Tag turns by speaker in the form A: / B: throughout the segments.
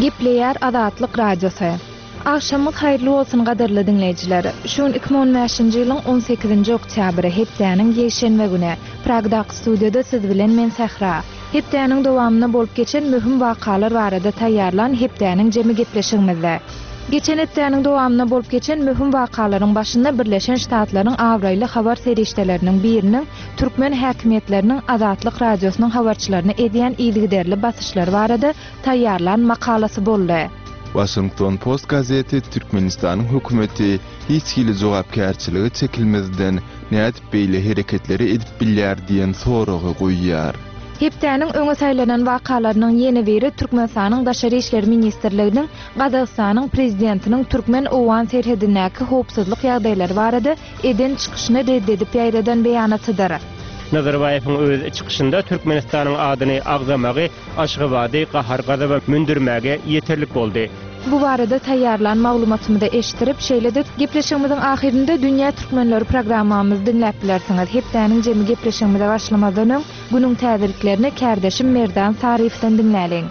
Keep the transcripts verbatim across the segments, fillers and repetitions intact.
A: Gepleýär Azatlyk Radiosy. Agşamyňyz haýyrly bolsun gadyrly diňleýjiler. Şu gün iki müň on bäşinji ýylyň on sekizinji oktýabry, hepdäniň ýekşenbe güni. Pragdaky studiýada siz bilen men Sähra. Hepdäniň dowamynda bolup geçen möhüm wakalar barada taýýarlan hepdäniň jemi gepleşigimizde. Geçen hepdäniň dowamynda bolup geçen möhüm wakalaryň başynda Birleşen Ştatlaryň abraýly habar serişdeleriniň biriniň türkmen häkimiýetleriniň Azatlyk Radiosynyň habarçylaryna edýän yzygiderli basyşlary barada taýýarlan makalasy boldy.
B: Washington Post gazeti Türkmenistanyň hökümeti hiç hili jogapkärçiligi çekilmezden nädip beýle hereketleri edip bilýär diýen soragy goýýar.
A: Hepdäniň öňe saýlanan wakalarynyň ýene biri Türkmenistanyň Daşary işler ministrliginiň Gazagystanyň prezidentiniň türkmen-owgan serhedindäki howpsuzlyk ýagdaýlary barada eden çykyşyny reddedip ýaýradan beýanatydyr.
C: Nazarbaýewiň öz çykyşynda Türkmenistanyň adyny agzamagy Aşgabady gahar-gazaba mündürmäge ýeterlik boldy.
A: Bu barada taýýarlan maglumatymyzy eşitdirip, şeýle-de gepleşigimiziň ahyrynda Dünýä Türkmenleri programmamyzy diňläp bilersiňiz. Hepdäniň jemi gepleşigimize başlamazdan öň günüň täzeliklerini kärdeşim Merdan Saryýewden diňläliň.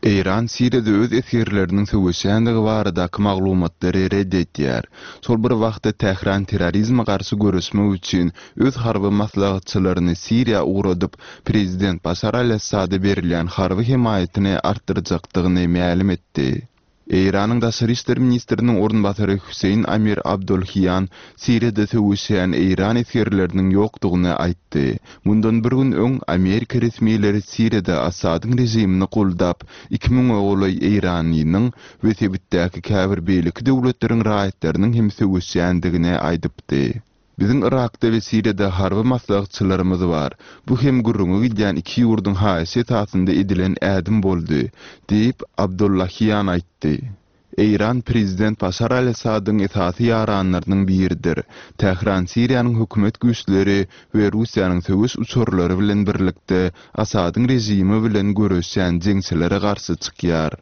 B: Eýran Siriýada öz esgerleriniň söweşýändigi baradaky maglumatlary red edýär. Şol bir wagtda Tähran terrorizme garşy göreşmek üçin öz harby maslahatçylaryny Siriýa ugradyp, prezident Başar al-Assada berilýän harby hemaýatyny artdyrjakdygyny mälim etdi. Eýranyň Daşary işler ministriniň orunbasary Hüseýin Amir Abdolhiýan Siriýada söweşýän Eýran esgerleriniň ýokdugyny aýtdy. Mundan bir gün öň Amerika resmileri Siriýada Assadyň režimini goldap, iki müňe golaý Eýranynyň we sebitdäki käbir beýleki döwletleriň raýatlarynyň hem söweşýändigini aýdypdy. Biziň Irakda we Siriýada harby maslahatçylarymyz bar. Bu hem gürrüňi gidýän iki ýurduň haýyşy esasynda edilen ädim boldy, diýip Abdullahiýan aýtdy. Eýran prezident Başar al-Assadyň esasy ýaranlarynyň biridir. Tähran Siriýanyň hökümet güýçleri we Russiýanyň söweş uçarlary bilen birlikde Assadyň režimi bilen göreşýän jeňçilere garşy çykýar.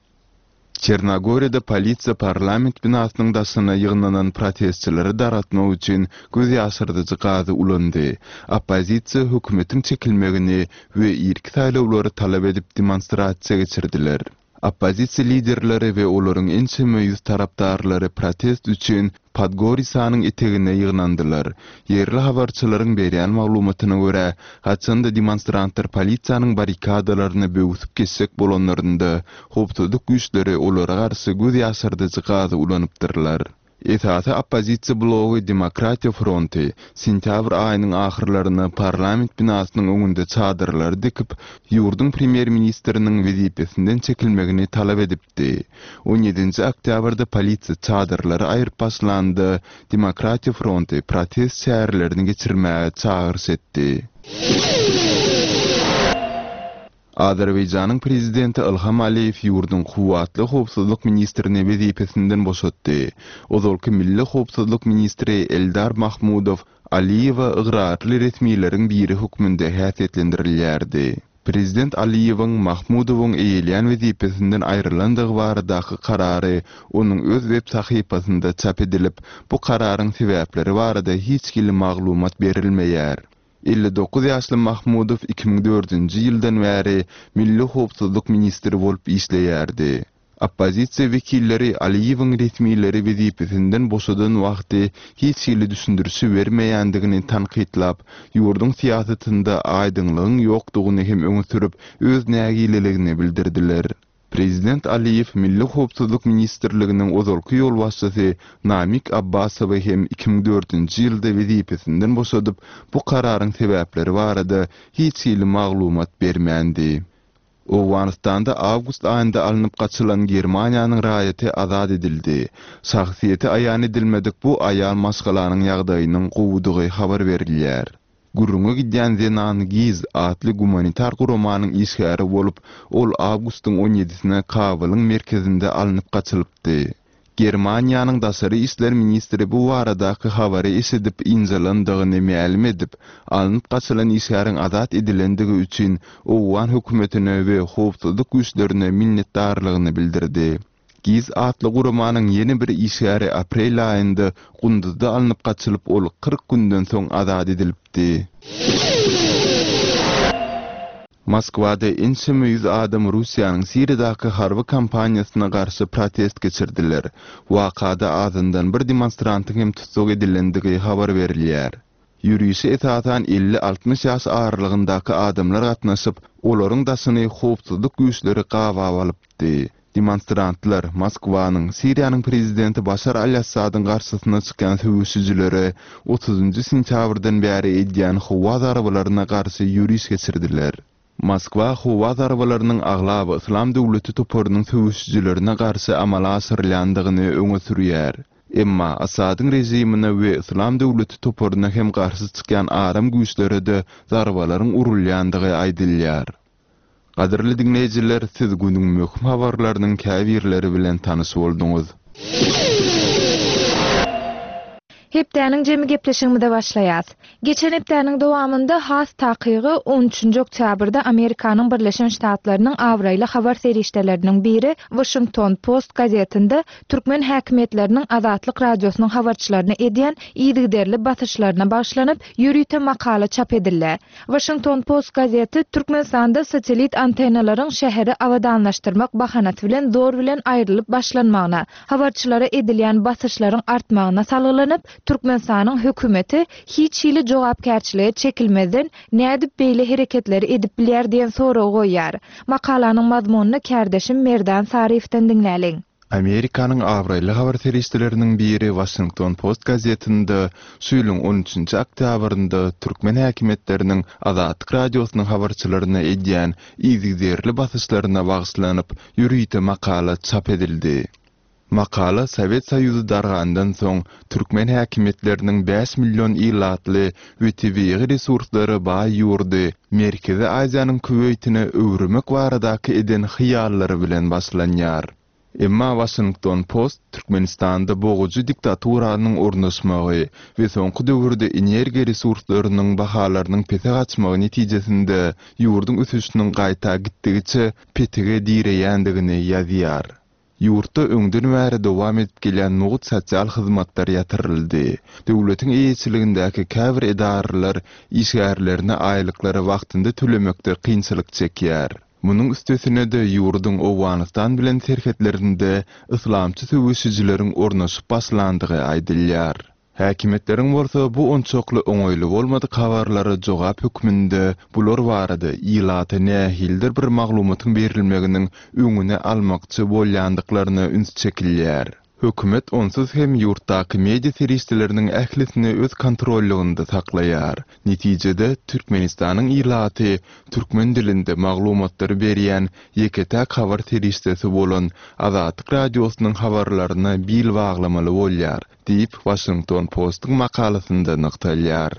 B: Çernogoriýada polisiýa parlament binasynyň daşyna ýygnanan protestçileri daratmak üçin göz ýaşyrdyjy gazy ulandy. Oppozisiýa hökümetiň çekilmegini we irki saýlawlary talap edip demonstrasiýa geçirdiler. Oppozisiýa liderleri we olaryň ençeme ýüz tarapdarlary protest üçin Podgorisanyň etegine ýygnandylar. Ýerli habarçylaryň berýän maglumatyna görä, haçanda demonstrantlar polisiýanyň barikadalaryny böwsüp geçjek bolanlarynda, howpsuzlyk güýçleri olara garşy göz ýaşyrdyjy gazy ulanypdyrlar. Esasy oppozisiýa blogy Demokratiýa fronty sentýabr aýynyň ahyrlaryna parlament binasynyň öňünde çadyrlary dikip, ýurduň premýer-ministriniň wezipesinden çekilmegini talap edipdi. on ýedinji oktýabrda polisiýa çadyrlary aýryp başlanda, Demokratiýa fronty protest çärelerini geçirmäge çagyryş etdi. Azerbaýjanyň prezidenti Ilham Aliýew ýurduň kuwwatly howpsuzlyk ministrini wezipesinden boşatdy. Ozalky milli howpsuzlyk ministri Eldar Mahmudow Aliýewe ygrarly resmileriň biri hökmünde häsiýetlendirilýärdi. Prezident Aliýewiň Mahmudowyň eýeleýän wezipesinden aýrylandygy baradaky karary onuň öz web sahypasynda çap edilip, bu kararyň sebäpleri barada hiç hili maglumat berilmeýär. elli dokuz ýaşly Mahmudow iki müň dördünji ýyldan bäri milli howpsuzlyk ministri bolup işleýärdi. Oppozisiýa wekilleri Aliýewiň resmileri wezipesinden boşadan wagty hiç hili düşündirişi bermeýändigini tankytlap, ýurduň syýasatynda aýdyňlygyň ýokdugyny hem öňe sürüp, öz nägileligini bildirdiler. Prezident Aliýew Milli howpsuzlyk ministrliginiň ozalky ýolbaşçysy Namik Abbasowy hem iki müň dördünji ýylda wezipesinden boşadyp, bu kararyň sebäpleri barada hiç hili maglumat bermändi. Owganystanda awgust aýynda alnyp gaçylan Germaniýanyň raýaty azat edildi. Şahsyýeti aýan edilmedik bu aýal maşgalanyň ýagdaýynyň gowudygy habar berilýär. Gürrüňe gidýän zenan Giz atly gumanitar guramanyň işgäri bolup, ol awgustyň on ýedisine Kabulyň merkezinde alnyp gaçylypdy. Germaniýanyň daşary işler ministri bu baradaky habary eşidip ynjalandygyny mälim edip, alnyp gaçylan işgäriň azat edilendigi üçin owgan hökümetine we howpsuzlyk güýçlerine minnetdarlygyny bildirdi. Giz atly guramanyň ýene bir işgäri aprel aýynda Gunduzda alnyp gaçylyp, ol kyrk günden soň azat edilipdi. Moskwada ençeme ýüz adam Russiýanyň Siriýadaky harby kampaniýasyna garşy protest geçirdiler. Wakada azyndan bir demonstrantyň hem tussag edilendigi habar berilýär. Ýörişe esasan elli-altmyş ýaş aralygyndaky adamlar gatnaşyp, olaryň daşyny howpsuzlyk güýçleri gabap alypdy. Demonstrantlar Moskwanyň Siriýanyň prezidenti Başar al-Assadyň garşysyna çykýan söweşijilere otuzynjy sentýabrdan bäri edýän howa zarbalaryna garşy ýöriş geçirdiler. Moskwa howa zarbalarynyň aglaba Yslam döwleti toparynyň söweşijilerine garşy amala aşyrylýandygyny öňe sürýär. Emma Assadyň režimine we Yslam döwleti toparyna hem garşy çykýan aram güýçlere-de zarbalaryň urulýandygy aýdylýar. Gadyrly diňleýjiler, siz günüň möhüm habarlarynyň käbirleri bilen tanyş bolduňyz.
A: Hepdäniň jemi gepleşigimize başlaýas. Geçen hepdäniň dowamynda has takygy on üçünji oktýabrda Amerikanyň Birleşen Ştatlarynyň abraýly habar serişdeleriniň biri Washington Post gazetinde türkmen häkimiýetleriniň Azatlyk radiosynyň habarçylaryna edýän yzygiderli basyşlaryna bagyşlanyp ýörite makala çap edildi. Washington Post gazeti Türkmenistanda satellit antennalaryň şäheri abadanlaşdyrmak bahanasy bilen zor bilen aýrylyp başlanmagyna, habarçylara edilýän basyşlaryň artmagyna salgylanyp, Türkmenistanyň hökümeti hiç hili jogapkärçilige çekilmezden nädip beýle hereketleri edip bilýär diýen soragy goýýar. Makalanyň mazmunyny kärdeşim Merdan Saryýewden diňläliň.
B: Amerikanyň abraýly habar serişdeleriniň biri Washington Post gazetinde şu ýylyň on üçünji oktýabrynda türkmen häkimiýetleriniň Azatlyk radiosynyň habarçylaryna edýän yzygiderli basyşlaryna bagyşlanyp ýörite makala çap edildi. Makala Sowet Soýuzy dargandan soň türkmen häkimiýetleriniň bäş million ilatly we tebigy resurslara baý ýurdy Merkezi Aziýanyň Kuweýtine öwürmek baradaky eden hyýallary bilen başlanýar. Emma Washington Post Türkmenistanda boğujy diktaturanyň ornaşmagy we soňky döwürde energiýa resurslarynyň bahalarynyň pese gaçmagy netijesinde ýurduň ösüşiniň gaýta gitdigiçe petige direýändigini ýazýar. Ýurtda öňden bäri dowam edip gelýän mugt sosial hyzmatlar ýatyryldy. Döwletiň eýeçiligindäki käbir edaralar işgärlerine aýlyklary wagtynda tölemekde kynçylyk çekýär. Munuň üstesine-de ýurduň Owganystan bilen serhetlerinde yslamçy söweşijileriň ornaşyp başlandygy aýdylýar. Häkimiýetleriň bolsa bu onçakly oňaýly bolmadyk habarlara jogap hökmünde bular barada ilata nähilidir bir maglumatyň berilmeginiň öňüni almakçy bolýandyklaryna üns çekilýär. Hökümet onsuz hem ýurtdaky media serişdeleriniň ählisini öz kontrollygynda saklaýar. Netijede Türkmenistanyň ilaty türkmen dilinde maglumatlary berýän ýeke-täk habar serişdesi bolan Azatlyk radiosynyň habarlaryna bil baglamaly bolýar, diýip Washington Postuň makalasynda nygtalýar.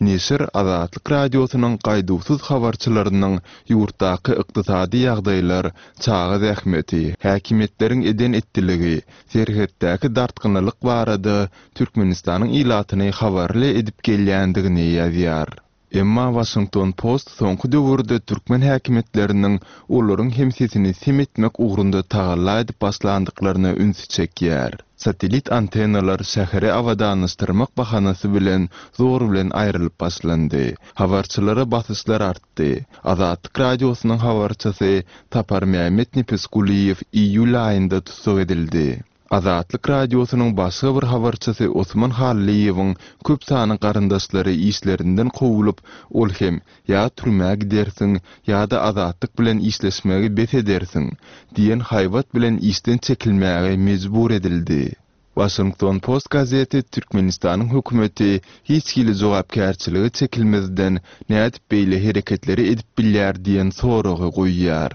B: Neşir Azatlyk radiosynyň gaýduwsyz habarçylarynyň ýurtdaky ykdysady ýagdaýlar, çaga zähmeti, häkimiýetleriň eden etdiligi, serhetdäki dartgynlyk barada Türkmenistanyň ilatyny habarly edip gelýändigini ýazýar. Emma Washington Post soňky döwürde türkmen häkimiýetleriniň olaryň hem sesini sem etmek ugrunda tagalla edip başlandyklaryna üns çekýär. Satellit antennalar şäheri abadanlaşdyrmak bahanasy bilen zor bilen aýrylyp başlandy. Habarçylara basyşlar artdy. Azatlyk radiosynyň habarçysy Tapar Mehmet Nepesguliýew iýul aýynda tussag edildi. Azatlyk radiosynyň başga bir habarçysy Osman Halliýewiň köp sany garyndaşlary işlerinden kowulup, ol hem ýa türmä gidersiň, ýa-da azatlyk bilen işleşmegi bes edersiň diýen haýbat bilen işden çekilmäge mejbur edildi. Washington Post gazeti Türkmenistanyň hökümeti hiç hili jogapkärçiligi çekilmezden nädip beýle hereketleri edip bilýär diýen soragy goýýar.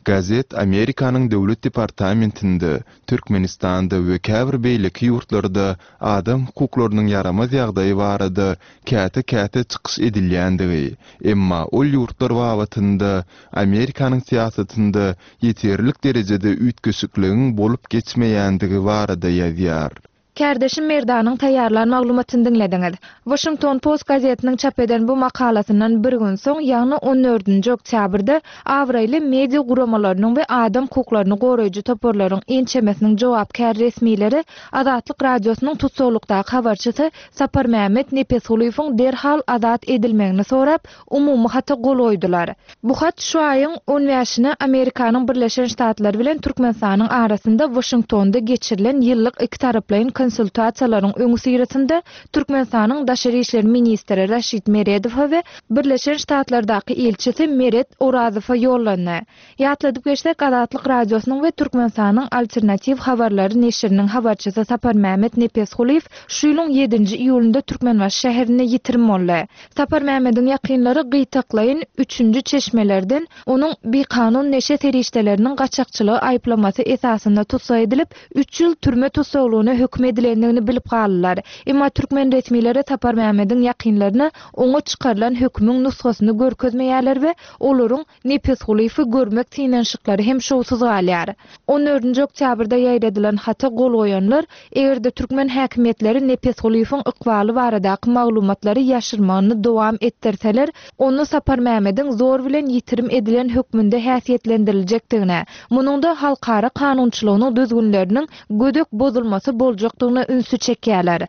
B: Gazet Amerikanyň Döwlet Departamentinde, Türkmenistanda we käbir beýleki ýurtlarda adam hukuklarynyň ýaramaz ýagdaýy barada käte-käte çykyş edilýändigi, emma ol ýurtlar babatynda Amerikanyň syýasatynda ýeterlik derejede üýtgeşikligiň bolup geçmeýändigi barada ýazýar.
A: Kärdeşim Merdanyň taýýarlan maglumatyny diňlediňiz. Washington Post gazetiniň çap eden bu makalasyndan bir gün soň, ýagny on dördünji oktýabrda abraýly media guramalarynyň we adam hukuklaryny goraýjy toparlaryň ençemesiniň jogapkär resmileri Azatlyk radiosynyň tutsaglykdaky habarçysy Saparmämmet Nepesgulyýewiň derhal azat edilmegini sorap, umumy hata gol goýdular. Bu hat şu aýyň on bäşine Amerikanyň Birleşen Ştatlary bilen Türkmenistanyň arasynda Washingtonda geçirilen ýyllyk iki taraplaýyn konsultasiýalaryň öňüsyrasynda Türkmenistanyň Daşary işler ministri Raşid Meredowa we Birleşen Ştatlardaky ilçisi Meret Orazowa ýollandy. Ýatladyp geçsek, Azatlyk radiosynyň we Türkmenistanyň alternatiw habarlary neşiriniň habarçysy Saparmämmet Nepesgulyýew şu ýylyň ýedinji iýulynda Türkmenbaşy şäherinde ýitirim boldy. Saparmämmediň ýakynlary gyýtaklaýyn üçünji çeşmelerden onuň bikanun neşe serişdeleriniň gaçakçylygy aýyplamasy esasynda tussag edilip, üç ýyl türme tussaglygyna höküm edilendigini bilip galdylar. Emma türkmen resmileri Saparmämmediň ýakynlaryna oňa çykarylan hökümiň nusgasyny görkezmeýärler we olaryň Nepesgulyýewi görmek synanyşyklary hem şowsuz galýar. on dördünji oktýabrda ýaýradylan hata gol goýanlar, eger-de türkmen häkimiýetleri Nepesgulyýewiň ykbaly baradaky maglumatlary ýaşyrmagyny dowam etdirseler, onu Saparmämmediň zor bilen ýitirim edilen hökmünde häsiýetlendiriljekdigine, munuň da halkara kanunçylygynyň düzgünleriniň gödek bozulmasy boljakdygyna ünsi çekýärler.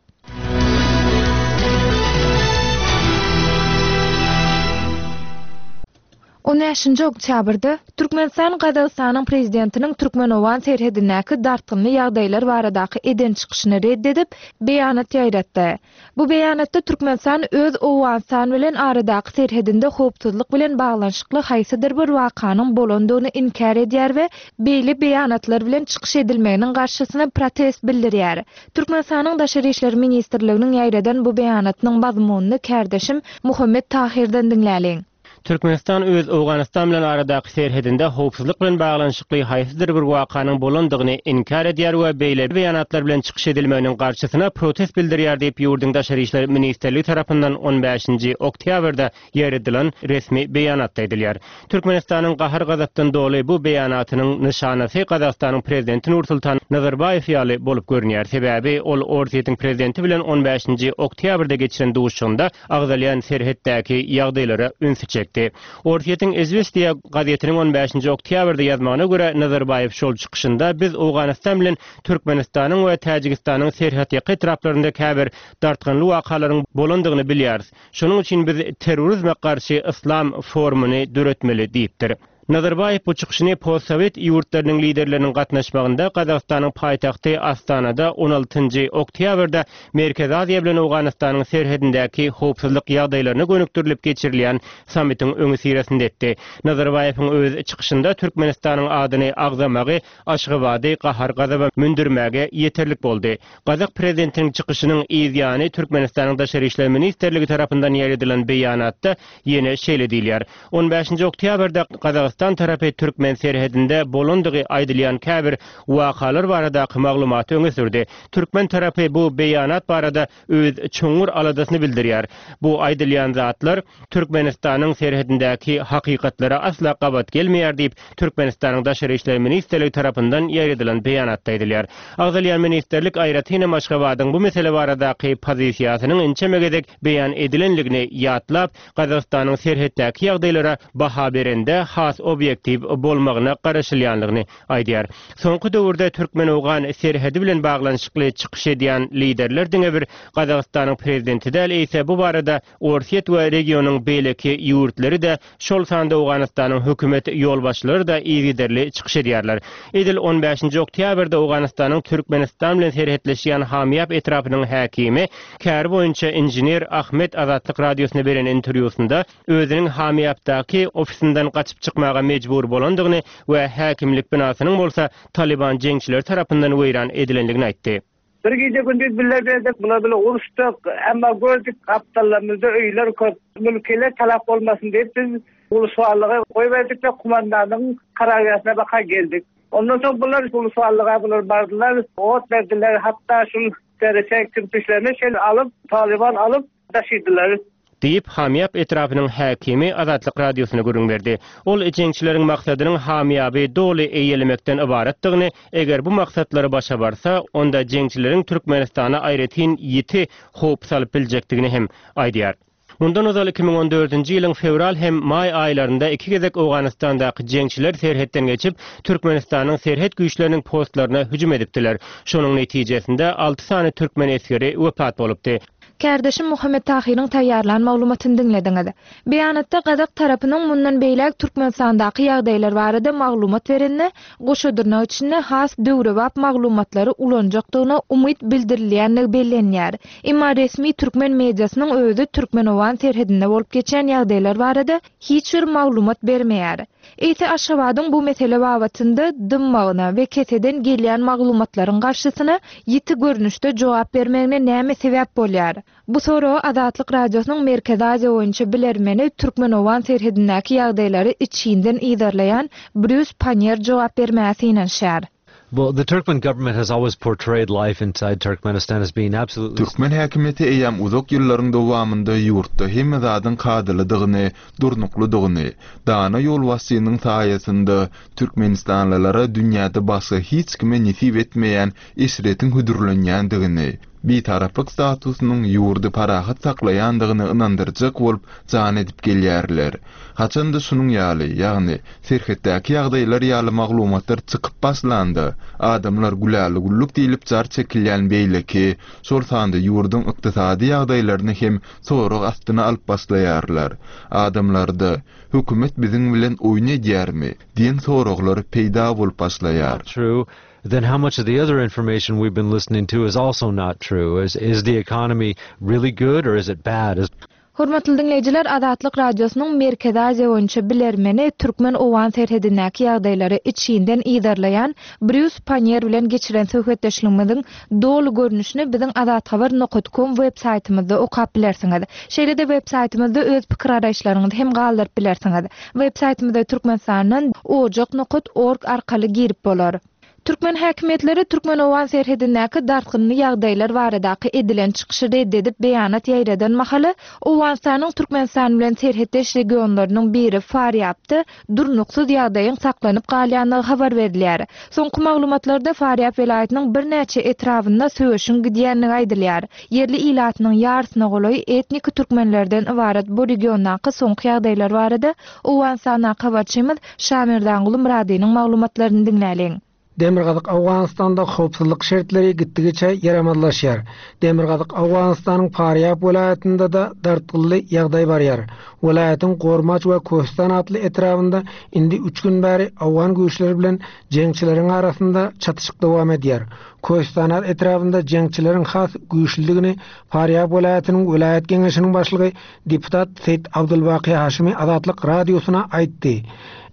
A: on bäşinji oktýabrda Türkmenistan Gazagystanyň prezidentiniň Türkmen-Owgan serhedindäki dartgynly ýagdaýlar baradaky eden çykyşyny red edip, beýanat ýaýratdy. Bu beýanatda Türkmenistan öz Owganystan bilen aradaky serhedinde howpsuzlyk bilen baglanyşykly haýsydyr bir wakanyň bolandygyny inkär edýär we beýle beýanatlar bilen çykyş edilmeginiň garşysyna protest bildirýär. Türkmenistanyň Daşary işler ministrliginiň ýaýradan bu beýanatynyň mazmunyny kärdeşim Muhammet Tahirden diňläliň.
C: Türkmenistan öz Owganystan bilen aradaky serhedinde howpsuzlyk bilen baglanyşykly haýsydyr bir wakanyň bolandygyny inkär edýär we beýle beýanatlar bilen çykyş edilmeginiň garşysyna protest bildirýär diýip ýurduň Daşary işler ministrligi tarapyndan on bäşinji oktýabrda ýaýradylan resmi beýanatda edilýär. Türkmenistanyň gahar-gazapdan doly bu beýanatynyň nyşanasy Gazagystanyň prezidenti Nursultan Nazarbaýew ýaly bolup görünýär. Sebäbi ol Orsýetiň prezidenti bilen on bäşinji oktýabrda geçiren duşuşygynda agzalýan serhetdäki ýagdaýlara ünsi çekdi. Orsýetiň Izvestiya gazetiniň on bäşinji oktýabrda ýazmagyna görä Nazarbaýew şol çykyşynda biz Owganystan bilen Türkmenistanyň we Täjigistanyň serhetýaka etraplarynda käbir dartgynly wakalaryň bolandygyny bilýäris. Şonuň üçin biz terrorizme garşy yslam forumyny döretmeli diýipdir. Nazarbaýew bu çykyşyny postsowet ýurtlarynyň liderleriniň gatnaşmagynda Gazagystanyň paýtagty Astanada on altynjy oktýabrda Merkezi Aziýa bilen Owganystanyň serhedindäki howpsuzlyk ýagdaýlaryna gönükdirilip geçirilýän sammitiň öňüsyrasynda etdi. Nazarbaýewiň öz çykyşynda Türkmenistanyň adyny agzamagy Aşgabady gahar-gazaba mündürmäge ýeterlik boldy. Gazak prezidentiniň çykyşynyň yzýany Türkmenistanyň Daşary işler ministrligi tarapyndan ýaýradylan beýanatda ýene şeýle diýilýär. on bäşinji oktýabrda Gazagystan tarapy Türkmen serhedinde bolandygy aýdylýan käbir wakalar baradaky maglumaty öňe sürdi. Türkmen tarapy bu beýanat barada öz çuňňur aladasyny bildirýär. Bu aýdylýan zatlar Türkmenistanyň serhedindäki hakykatlara asla gabat gelmeýär diýip Türkmenistanyň Daşary işler ministrligi tarapyndan ýaýradylan beýanatda aýdylýar. Agzalýan ministrlik aýratyn Aşgabadyň bu mesele baradaky pozisiýasynyň inçe gezek beýan edilenligini ýatlap, Gazagystanyň serhetdäki ýagdaýlara baha berende has obyektiw bolmagyna garaşylýanlygyny aýdýar. Soňky döwürde Türkmen-Owgan serhedi bilen baglanyşykly çykyş edýän liderler diňe bir Gazagystanyň prezidenti däl, eýse bu barada Orsýet we regionyň beýleki ýurtlary da şol sanda Owganystanyň hökümet ýolbaşçylary da yzygiderli çykyş edýärler. Edil on bäşinji oktýabrda Owganystanyň Türkmenistan bilen serhetleşýän Hamyýap etrapynyň häkimi käri boýunça inžener Ahmet Azatlyk radiosyna beren interwýusynda özüniň Hamyýapdaky ofisinden gaçyp çykmaga mejbur bolandygyny we häkimlik binasynyň bolsa Taliban jeňçileri tarapyndan weýran edilendigini aýtdy.
D: Bir gece gündüz bile berdik, bula bile uruşdyk, emma gördük aptallarymyzda öýler köp, mülkele talap olmasyn diýip biz ulussallyga goýberdik we kumandanyň karargahına baka geldik. Ondan soň bular ulussallyga bular bardylar, ot berdiler, hatta şu dereçe kirpiçlerini şeýle alyp, Taliban alyp taşydylar.
C: Diýip, Hamyýap etrapynyň häkimi Azatlyk Radiosyna gürrüň berdi. Ol jeňçileriň maksadynyň Hamyýaby doly eýelemekden ybaratdygyny, eger bu maksatlary başa barsa, onda jeňçileriň Türkmenistana aýratyn ýiti howp salyp biljekdigini hem aýdýar. Mundan ozal iki müň on dördünji ýylyň fewral hem maý aýlarynda iki gezek Owganystandaky jeňçiler serhetden geçip, Türkmenistanyň serhet güýçleriniň postlaryna hüjüm edipdiler. Şonuň netijesinde alty sany türkmen esgeri wepat bolupdy.
A: Kärdeşim Muhammet Tahyryň taýýarlan maglumatyny diňlediňiz. Beýanatda gazak tarapynyň mundan beýläk Türkmenistandaky ýagdaýlar barada maglumat berende, goşa dyrnak içinde has döwrebap maglumatlary ulanjakdygyna umyt bildirilýändigi bellenýär. Emma resmi türkmen mediasynyň özi türkmen-owgan serhedinde bolup geçen ýagdaýlar barada hiç bir maglumat bermeýär. Eýse Aşgabadyň bu mesele babatynda dymmagyna we keseden gelýän maglumatlaryň garşysyna ýiti görnüşde jogap bermegine näme sebäp bolýar? Bu soragy Azatlyk Radiosynyň Merkezi Aziýa boýunça bilermeni türkmen-owgan serhedindäki ýagdaýlary içinden yzarlaýan Brýus Pannier jogap bermäge synanyşýar.
E: Well, the Turkmen government has always portrayed life inside Turkmenistan as being absolutely
B: Türkmen häkimiýeti eýýäm uzak ýyllaryň dowamynda ýurtda hemme zadyň kadalydygyny, durnuklydygyny, dana ýolbaşçynyň saýasynda türkmenistanlylara dünýäde başga hiç kime nesip etmeýän eşretiň hödürlenýändigini, bitaraplyk statusynyň ýurdy parahat saklaýandygyny ynandyrjak bolup jan edip gelýärler. Haçanda şunuň ýaly, ýagny serhetdäki ýagdaýlar ýaly maglumatlar çykyp başlanda, adamlar güläli güllük diýlip jar çekilýän beýleki, şol sanda ýurduň ykdysady ýagdaýlaryny hem sorag astyna alyp başlaýarlar. Adamlarda hökümet biziň bilen oýun edýärmi diýen soraglar peýda bolup başlaýar.
E: True. Then how much of the other information we've been listening to is also not true? Is, is the economy really good or is it bad? Is
A: Hormatly diňleýjiler, Azatlyk Radiosynyň Merkezi Aziýa boýunça bilermeni türkmen-owgan serhedindäki ýagdaýlary içinden yzarlaýan Brýus Pannier bilen geçiren söhbetdeşligimiziň doly görnüşini biziň azathabar nokta com web saýtymyzda okap bilersiňiz. Şeýle-de web saýtymyzda öz pikir garaýyşlaryňyzy hem galdyryp bilersiňiz. Web saýtymyza Türkmenistandan ojak nokta org arkaly girip bolar. Türkmen häkimiýetleri türkmen-owgan serhedindäki dartgynly ýagdaýlar baradaky edilen çykyşy red edip beýanat ýaýradan mahaly Owganystanyň Türkmenistan bilen serhetdeş regionlarynyň biri Farýapda durnuksyz ýagdaýyň saklanyp galýandygy habar berilýär. Soňky maglumatlarda Farýap welaýatynyň birnäçe etrabynda söweşiň gidýändigi aýdylýar. Ýerli ilatynyň ýarysyna golaý etnik türkmenlerden ybarat bu regiondaky soňky ýagdaýlar barada Owganystandaky habarçymyz Şamirdanguly Myradynyň maglumatlaryny diňläliň.
F: Demirgazyk Owganystanda howpsuzlyk şertleri gitdigiçe ýaramazlaşýar. Demirgazyk Owganystanyň Farýap welaýatynda da dartgynly ýagdaý barýar. Welaýatyň Gormaç we Köstan atly etrabynda indi üç gün bäri owgan güýçleri bilen jeňçileriň arasynda çatyşyk dowam edýär. Köstanat etrabynda jeňçileriň has güýçlüdigini Farýap welaýatynyň welaýat geňeşiniň başlygy deputat Seýit Abdulbaki Haşimi Azatlyk Radiosyna aýtdy.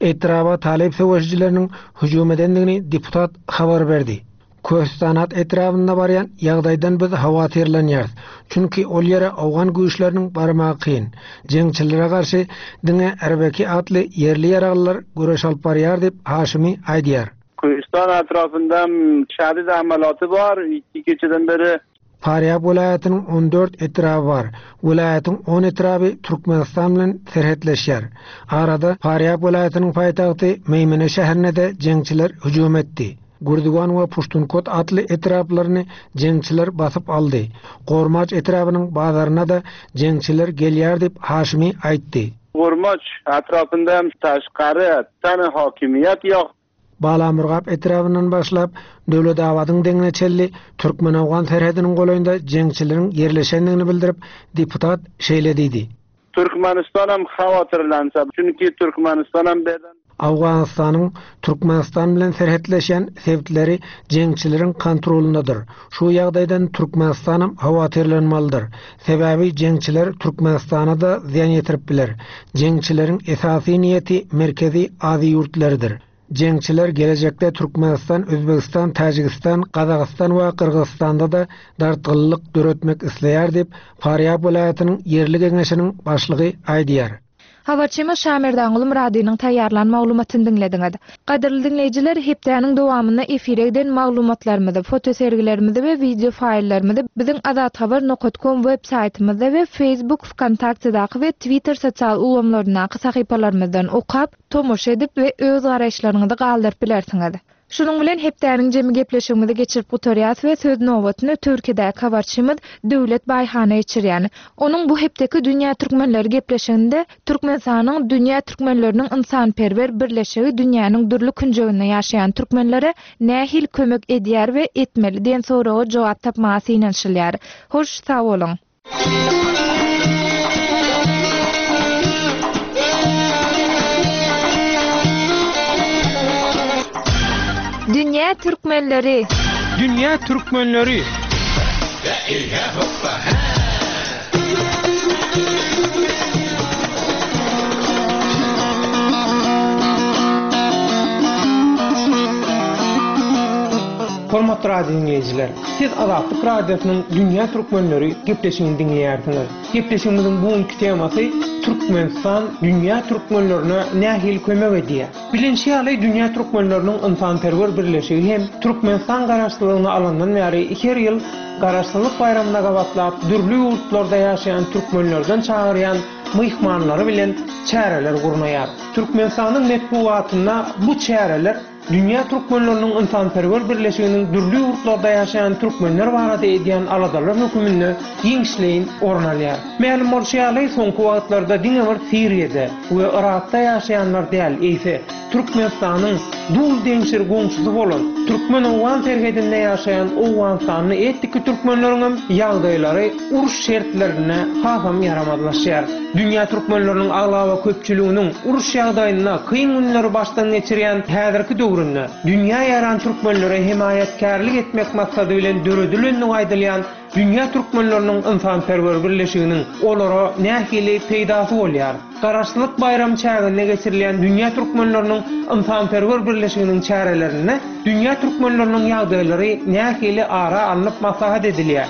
F: Etraba talyp söweşijileriniň hüjüm edendigini deputat habar berdi. Köstanat etrabynda barýan ýagdaýdan biz howatyrlanýarys. Çünki ol ýere owgan güýçleriniň barmagy kyn. Jeňçilere garşy diňe Erbeki atly ýerli ýaraglylar göreş alyp barýar diýip Haşimi aýdýar.
G: Köstan etrapynda şadid amalaty bar, iki geceden beri
F: Farýap welaýatynyň on dört etraby bar. Welaýatyň on etraby Türkmenistan bilen serhetleşýär. Arada Farýap welaýatynyň paýtagty Meýmene şäherine de jeňçiler hüjüm etdi. Gurdugan we Puştunkot atly etraplaryny jeňçiler basyp aldy. Gormaç etrabynyň bazaryna da jeňçiler gelýär diýip Haşimi aýtdy.
G: Gormaç etrapynda taşkary tane hakimiyet ýok.
F: Balamurgap etrabyndan başlap Döwletabadyň deňine çenli Türkmen-Owgan serhediniň golaýynda jeňçileriň ýerleşendigini bildirip deputat şeýle diýdi.
G: Türkmenistanam hawatyrlansa, çünki Türkmenistanam beden
F: Owganystanyň Türkmenistan bilen serhetleşen sebitleri jeňçileriň kontrolundadyr. Şu ýagdaýdan Türkmenistanam hawatyrlanmalydyr. Sebäbi jeňçiler Türkmenistana da zyýan ýetirip biler. Jeňçileriň esasy niýeti Merkezi Aziýa ýurtlarydyr. Jeňçiler gelejekde Türkmenistan, Özbegistan, Täjigistan, Gazagystan we Gyrgyzystanda da dartgynlyk döretmek isleýär diýip Farýap welaýatynyň ýerli geňeşiniň başlygy aýdýar.
A: Habarçymyz Şamerdanguly Myradynyň taýýarlan maglumatyny diňlediňiz. Gadyrly diňleýjiler, hepdäniň dowamynda efire giden maglumatlarymyzy, fotosergilerimizi we video faýllarymyzy biziň azathabar nokta com web saýtymyzda we Facebook, VKontaktedaky we Twitter sosial ulgamlaryndaky sahypalarymyzdan okap, tomaşa edip we öz garaýyşlaryňyzy galdyryp bilersiňiz. Şunuň bilen hepdäniň jemi gepleşigimizi geçirip gutarýas we söz nobatyny Türkiýedäki habarçymyz Döwlet Baýhana geçirýän. Onuň bu hepdeki Dünýä Türkmenleri gepleşiginde Türkmenistanyň Dünýä Türkmenleriniň ynsanperwer birleşigi dünýäniň dürli künjeginde ýaşaýan türkmenlere nähili kömek edýär we etmeli diýen soraga jogap tapmaga synanyşylýar. Hoş sag boluň. Dünýä Türkmenleri.
H: Dünýä Türkmenleri. Hormatly radio dinleýjiler, siz Azatlyk Radiosynyň Dünýä Türkmenleri gepleşigini diňleýärsiňiz. Gepleşigimiziň bugünkü temasy Türkmenistan dünýä türkmenlerine nähili kömek edýär? Bilinçi ýaly Dünýä Türkmenleriniň ynsanperwer birleşigi hem Türkmenistan garaşsyzlygyny alandan bäri her ýyl garaşsyzlyk baýramyna gabatlap dürli ýurtlarda ýaşaýan türkmenlerden çagyrýan myhmanlary bilen çäreler gurnaýar. Türkmenistanyň metbugatynda bu çäreler Dünýä Türkmenleriniň ynsanperwer birleşiginiň dürli ýurtlarda ýaşaýan türkmenler barada edýän aladalar höküminde giňişleýin orun alýar. Mälim bolşy ýaly, soňky wagtlarda diňe bir Siriýada we Irakda ýaşaýanlar däl, eýse Türkmenistanyň dul deňşir goňşusy bolan Türkmen-Owgan serhedinde ýaşaýan Owganystanly etniki türkmenleriň hem ýagdaýlary uruş şertlerinde hasam ýaramazlaşýar. Dünýä türkmenleriniň aglaba köpçüliginiň uruş ýagdaýynda kyn günleri başdan geçirýän häzirki döwründe dünýä ýaran türkmenlere hemaýatkärlik etmek maksady bilen döredilendigi aýdylýan Dünýä Türkmenleriniň ynsanperwer birleşiginiň olara nähili peýdasy bolýar? Garaşsyzlyk baýramy çäginde geçirilýän Dünýä Türkmenleriniň ynsanperwer birleşiginiň çärelerinde Dünýä Türkmenleriniň ýagdaýlary nähili ara alnyp maslahat edilýär?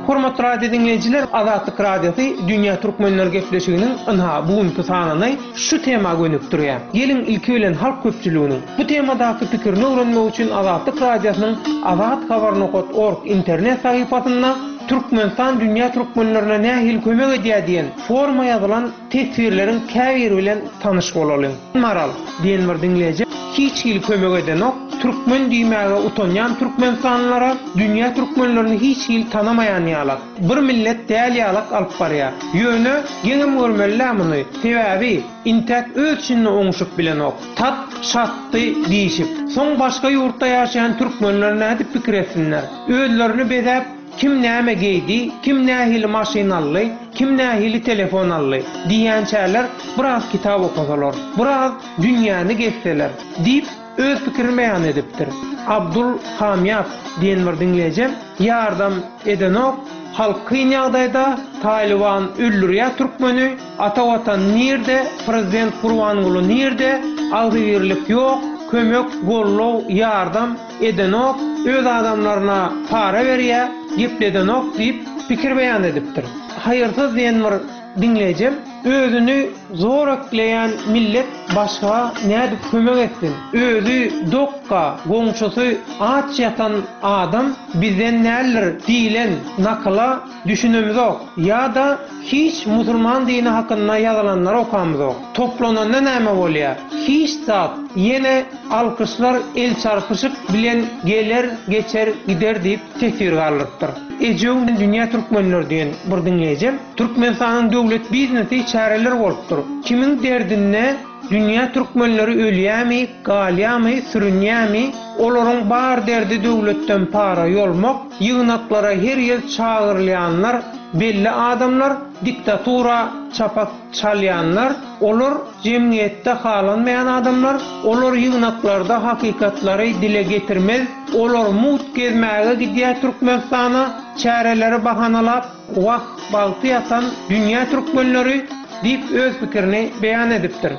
H: Hormatly radio dinleýjiler, Azatlyk Radiosy Dünýä Türkmenler gepleşiginiň ynha bugünkü sanyny şu tema gönükdirýär. Geliň ilki bilen halk köpçüliginiň bu temadaky pikirini öwrenmek üçin Azatlyk Radiosynyň azathabar nokta org internet sahypasynda Türkmenistan dünýä türkmenlerine nähili kömek edýär diýen forma ýazylan teswirleriň käbiri bilen tanyş bolalyň. Maral diýen bir dinleýji hiç hili kömek edenok, türkmen diýmäge utanýan Türkmenistanlylara dünýä türkmenlerini hiç hili tanamaýan ýalak, bir millet däl ýalak alyp barýar. Ýöne geňem görmeli muny. Sebäbi intäk öz içinde oňuşyp bilenok. Tat şatdy diýişip. Soň başga ýurtda ýaşaýan türkmenler nädip pikir etsinler? Özlerini bezäp kim näme geýdi, kim nähili maşyn aldy, kim nähili telefon aldy diýençäler biraz kitap okasalar, biraz dünýäni gezseler diýip öz pikirini beýan edipdir. Abdul Hamyap diýen bir dinleýjim ýardam edenok, halk kyn ýagdaýda Taliban öldürýär türkmeni, ata watan nirde, prezident Gurbanguly nirde, agzybirlik ýok, kömek, gollow, ýardam edenok, öz adamlaryna para berýär, gepledenok diýip pikir beýan edipdir. Haýyrsyz diýen bir dinleýjim özüni zor ekleýän millet başga nädip kömek etsin? Özü dokka, goňşusy aç ýatan adam bizden näler diýilen nakyla düşünemizok ýa-da hiç musulman dini hakynda ýazylanlar okamyzok. Toplananda näme bolýar? Hiç zat ýene alkyşlar el çarpyşyk bilen geler, geçer, gider diýip teswir galdyrypdyr. Ejew dünýä türkmenler diýen bir dinleýjim Türkmenistanyň döwlet biznesi çäreler bolupdyr. Kimin derdinde dünýä türkmenleri ölýämi, galýamy, sürünýämi, olaryň bar derdi döwletden para ýolmak, ýygnaklara her ýyl çagyrylýanlar, belli adamlar, diktatura çapak çalýanlar, olar jemgyýetde halanmaýan adamlar, olar ýygnaklarda hakykatlary dile getirmez, olar mut gezmäge gidýär Türkmenistana, çäreleri bahanalap, wah bagty ýatan dünýä türkmenleri diýip öz pikirini beýan edipdir.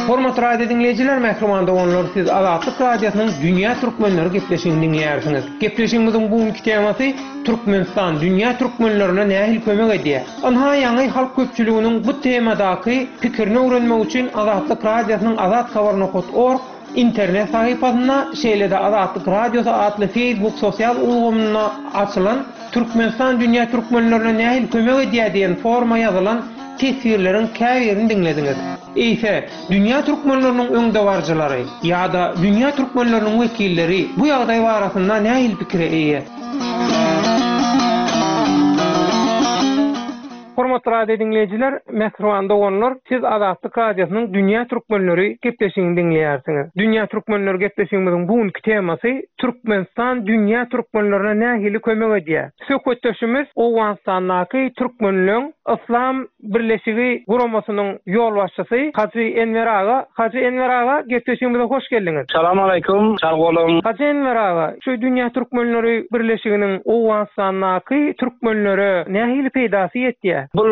H: Hormatly radio dinleýjiler, mähriban doganlar, siz Azatlyk Radiosynyň Dünýä Türkmenleri gepleşigini diňleýärsiňiz. Gepleşigimiziň bugünkü temasy Türkmenistan dünýä türkmenlerine nähili kömek edýär? Ynha ýaňy halk köpçüliginiň bu temadaky pikirini öwrenmek üçin Azatlyk Radiosynyň Azat Habar.org internet sahypasynda, şeýle-de Azatlyk Radiosy atly Facebook sosial ulgamynda açylan Türkmenistan dünýä türkmenlerine nähili kömek edýär diýen forma ýazylan teswirleriň käbirini diňlediňiz. Eýse, dünýä türkmenleriniň öňdebaryjylary ýa-da dünýä türkmenleriniň wekilleri bu ýagdaý barasynda nähili pikire eýe? Hormatly radio dinleýjiler, mähriban doganlar, siz Azatlyk Radiosynyň Dünýä Türkmenleri gepleşigini diňleýärsiňiz. Dünýä Türkmenleri gepleşigimiziň bugünkü temasy Türkmenistan dünýä türkmenlerine nähili kömek edýär? Söhbetdeşimiz Owganystandaky türkmenleň Yslam Birleşigi guramasynyň ýolbaşçysy Hajy Enwer aga. Hajy Enwer aga, gepleşigimize hoş geldiňiz.
G: Salam aleyküm, sag boluň.
H: Hajy Enwer aga, şu Dünýä Türkmenleri Birleşiginiň Owganystandaky türkmenlere nähili peýdasy ýetýär?
G: Bu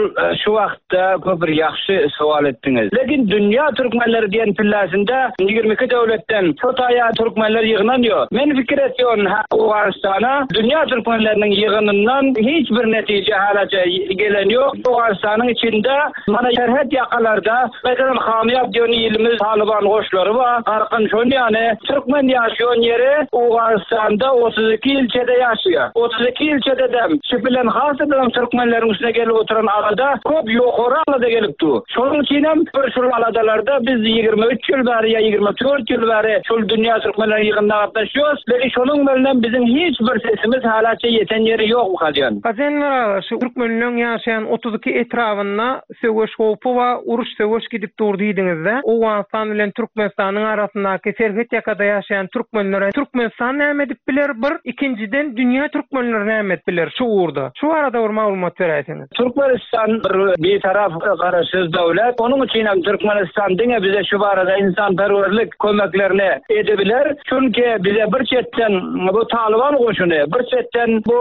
G: şu wagtda köp bir ýagşy sowal etdiňiz. Lekin Dünýä Türkmenleri diýen pillasynda ýigrimi iki döwletden Hytaýa türkmenler ýygnanýar. Men fikir etýän Owganystana Dünýä Türkmenleriniň ýygnyndan hiç bir netije halaça gelen ýok. Owganystanyň içinde mana serhet ýakalarda meselem Hamyýap diýen ilimiz Taliban goşlary bar. Garkyn şon ýany türkmen ýaşaýan ýeri Owganystanda otuz iki ilçede ýaşaýar. Otuz iki ilçede dem şu bilen hasydan türkmenleriň üstüne gelip oturan arada köp ýokary alada gelip du. Şonuň üçin hem bir şul aladalarda biz ýigrimi üç ýyl bäri ýa ýigrimi dört ýyl bäri şul dünýä türkmenleriniň ýygnynda gatnaşýarys. Lekin şonuň bilen biziň hiç bir sesimiz halaça ýeten ýeri ýok bu kadýan.
H: Hajy Enwer aga, şu türkmenleň ýaşaýan otuz iki etrabynda söweş howpy we uruş söweş gidip dur diýdiňizde, Owganystan bilen Türkmenistanyň arasyndaky serhet ýakada ýaşaýan türkmenlere Türkmenistan näme edip biler? Bir, ikinjiden dünýä türkmenleri näme edip biler şu ugurda? Şu arada bir maglumat beräýseňiz.
G: Türkmenistan bir bir taraf garaşsyz döwlet. Onuň üçin hem Türkmenistan diňe bize şu barada insanperwerlik kömeklerini edebiler. Çünki bize bir çetden bu Taliban goşuny, bir çetden bu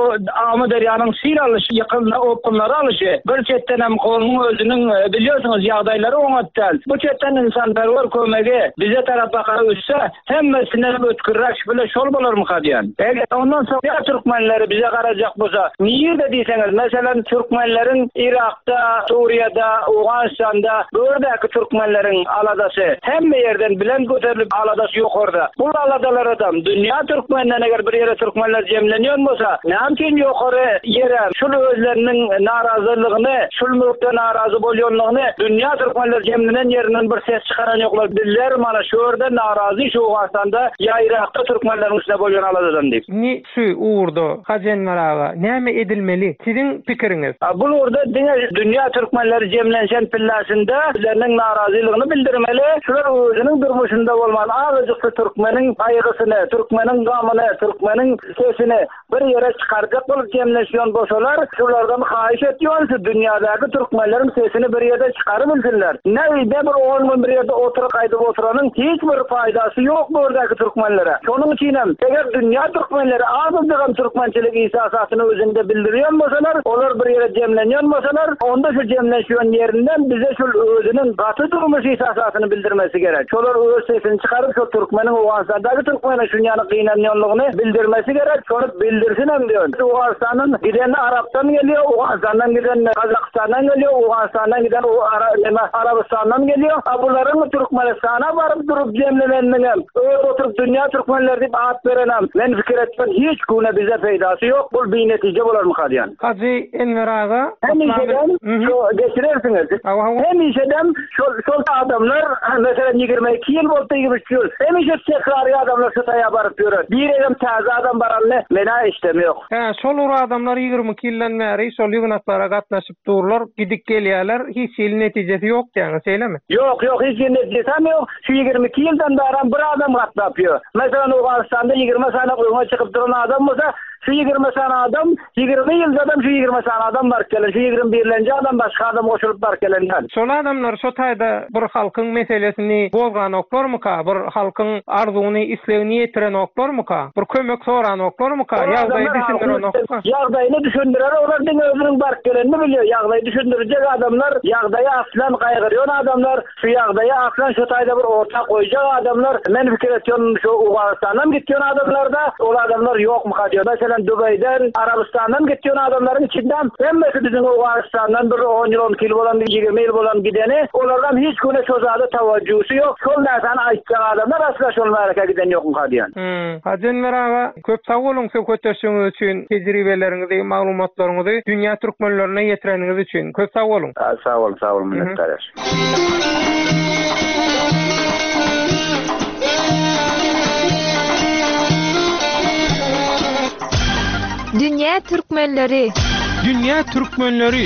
G: Amyderýanyň sil alyşy, ýykylma okgunlary alyşy, bir çetden hem onuň özüniň biliyorsunuz ýagdaýlary oňatdal. Bu çetden insanperwer kömegi bize tarap bakar ötse, hemmesine ötkürräk bile şol bolarmy kadýan. Eger ondan soň ya türkmenleri bize garajak bolsa, nirde diýseňiz, meselem türkmenleriň Irakda, Suriýada, Owganystanda bördäki türkmenleriň aladasy hemme ýerden bilen göterilip aladasy ýokarda. Bu aladalar adam dünýä türkmenden eger bir ýere türkmenler jemlenýän bolsa, näme üçin ýokary ýere şul özleriniň narazylygyny, şul mülkde narazy bolýanlygyny dünýä türkmenler jemlenen ýerinden bir ses çykaran ýoklar. Bizler mana şu ýerde narazy şu Owganystanda ýa Irakda türkmenleriň üstüne bolýan aladadan diýip.
H: Ni şu ugurda Hajy Enwer aga näme edilmeli? Siziň pikiriňiz?
G: A, bu ugurda diňe dünýä türkmenleri jemlenşen pillasynda özleriniň narazylygyny bildirmeli. Şular özüniň durmuşynda bolman azajyk türkmeniň gaýgysyny, türkmeniň gamyny, türkmeniň sesini bir ýere çykarjak bolup jemleşýän bolsalar, şulardan haýyş etýän şu dünýädäki türkmenleriň sesini bir ýerde çykaryp bilsinler. Näde bir on gün bir ýerde oturyp gaýdyp oturanyň hiç bir faýdasy ýok bu ýerdäki türkmenlere. Şonuň üçin hem eger dünýä türkmenleri azajyk türkmençilik isasasyny özünde bildirýän bolsalar, olar bir ýere jemlenýän bolsalar, onda şu jemleşýän ýerinden bize şu özüniň gaty durmuş isasasyny bildirmesi gerek. Şolar öz sesini çykaryp şu türkmeniň Owganystandaky türkmeniň şunýany gynanýanlygyny bildirmesi gerek. Şony bildirsin hem diýen. Owganystandan giden Arapdan geliyor, Owganystandan giden Kazakistandan geliyor, Owganystandan giden o Ara-, neme, Arabistandan geliyor. A bularyň Türkmenistana baryp durup jemlenenligem, öz oturup dünýä türkmenler diýip at berenem, men fikir etmem hiç güne bize peýdasy ýok. Bu bir netije bolarmy kadýan?
H: Hajy Enwer aga,
G: Hemişeden
H: Hı-hı.
G: şu geçirersiňiz.
H: Hawa, hawa.
G: Hemişeden şol, şol adamlar, ha, meselem ýigrimi iki ýyl boldy, ýigrimi üç ýyl. Hemişe tekrar adamlar şu taýa baryp ýörer. Bir egem täze adam baranyny mena işlemi ýok.
H: Hä, şol ur adamlar ýigrimi iki ýyldan bäri şol ýygnaklara gatnaşyp durlar, gidip gelýärler, hiç hili netijesi ýok diýýäňiz, şeýlemi?
G: Ýok, ýok, hiç hili netijesi ýok. Şu ýigrimi iki ýyldan bäri bir adam gatnap ýör. Meselem Owganystanda ýigrimi sany öňe çykyp duran adam bolsa, Şu ýigrimi sany adam, ýigrimi ýyldadam şu ýigrimi sany adam baryp gelen, şu ýigrimi birlenji adam başga adam goşulyp baryp gelenden.
H: Şol adamlar şo taýda bir halkyň meselesini gozganoklarmyka, bir halkyň arzuwyny, islegini ýetirenoklarmyka, bir kömek soranoklarmyka, ýagdaýy düşündirenokmy?
G: Ýagdaýyny düşündirer, olar diňe özüniň baryp gelenini bilýär. Ýagdaýy düşündirjek adamlar, ýagdaýy aslan gaýgyrýan adamlar, şu ýagdaýy aslan şu taýda bir orta goýjak adamlar, men pikir etýän şu Owganystandan gitýän adamlarda ol adamlar ýokmyka diýär. Meselem Dubaýdan, Arabistandan gitýän adamlaryň içinden hemmesi biziň Owganystandan bir on ýyl, on iki ýyl bolan, ýigrimi ýyl bolan gideni, olardan hiç güne şo zada tawajjusi ýok. Şol näsany aýtjak adamlar asla şol märeke giden ýokmyka diýen.
H: Hmm. Hajy Enwer aga, köp sag boluň söhbetdeşligiňiz üçin, tejribeleriňizi, maglumatlaryňyzy dünýä türkmenlerine ýetireniňiz üçin. Köp sag boluň.
G: Ha, sag boluň, sag boluň, minnetdar.
A: Dünýä türkmenleri.
H: Dünýä türkmenleri.